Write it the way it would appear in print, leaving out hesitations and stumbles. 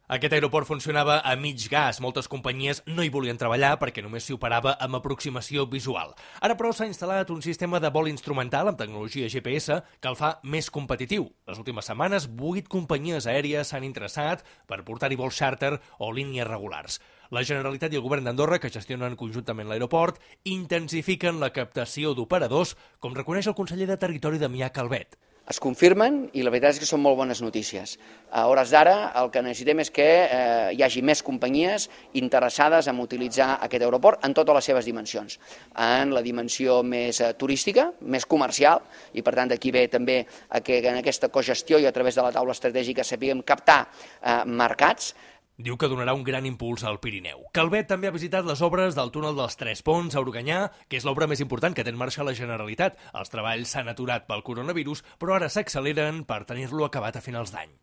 Aquest aeroport funcionava a mig gas. Moltes companyies no hi volien treballar perquè només s'hi operava amb aproximació visual. Ara, però, s'ha instal·lat un sistema de vol instrumental amb tecnologia GPS que el fa més competitiu. Les últimes setmanes, 8 companyies aèries s'han interessat per portar-hi vols xàrter o línies regulars. La Generalitat i el govern d'Andorra, que gestionen conjuntament l'aeroport, intensifiquen la captació d'operadors, com reconeix el conseller de Territori Damià Calvet. Es confirmen i la veritat és que són molt bones notícies. A hores d'ara el que necessitem és que hi hagi més companyies interessades en utilitzar aquest aeroport en totes les seves dimensions. En la dimensió més turística, més comercial, i per tant d'aquí ve també que en aquesta cogestió i a través de la taula estratègica sapiguem captar mercats. Diu que donarà un gran impuls al Pirineu. Calvet també ha visitat les obres del túnel dels Tres Ponts a Organyà, que és l'obra més important que té en marxa la Generalitat. Els treballs s'han aturat pel coronavirus, però ara s'acceleren per tenir-lo acabat a finals d'any.